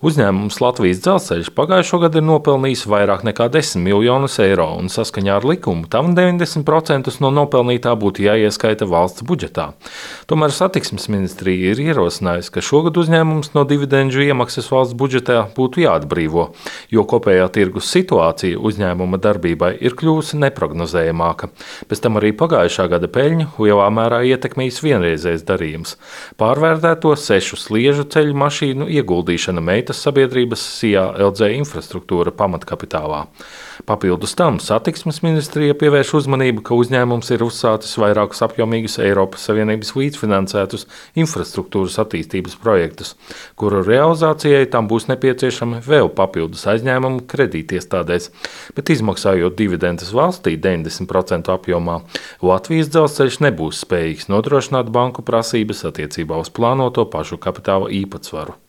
Uzņēmums Latvijas Dzelzceļš pagājušo gadu ir nopelnījis vairāk nekā 10 miljonus eiro, un saskaņā ar likumu tam 90% no nopelnītā būtu jāieskaita valsts budžetā. Tomēr satiksmes ministrija ir ierosinājusi, ka šogad uzņēmums no dividendžu iemaksas valsts budžetā būtu jāatbrīvo, jo kopējā tirgus situācija uzņēmuma darbībai ir kļuvusi neprognozējamāka. Pēc tam arī pagājušā gada peļņu lielā mērā ietekmējis vienreizējs darījums - pārvērtēto 6 sliežu ceļu mašīnu ieguldīšana meitas sabiedrības SIA LG infrastruktūra pamatkapitālā. Papildus tam satiksmes ministrija pievērš uzmanību, ka uzņēmums ir uzsācis vairākus apjomīgus Eiropas Savienības līdzfinansētus infrastruktūras attīstības projektus, kuru realizācijai tam būs nepieciešami vēl papildus aizņēmumu kredītiestādēs, bet izmaksājot dividendes valstī 90% apjomā, Latvijas Dzelzceļš nebūs spējīgs nodrošināt banku prasības attiecībā uz plānoto pašu kapitāla īpatsvaru.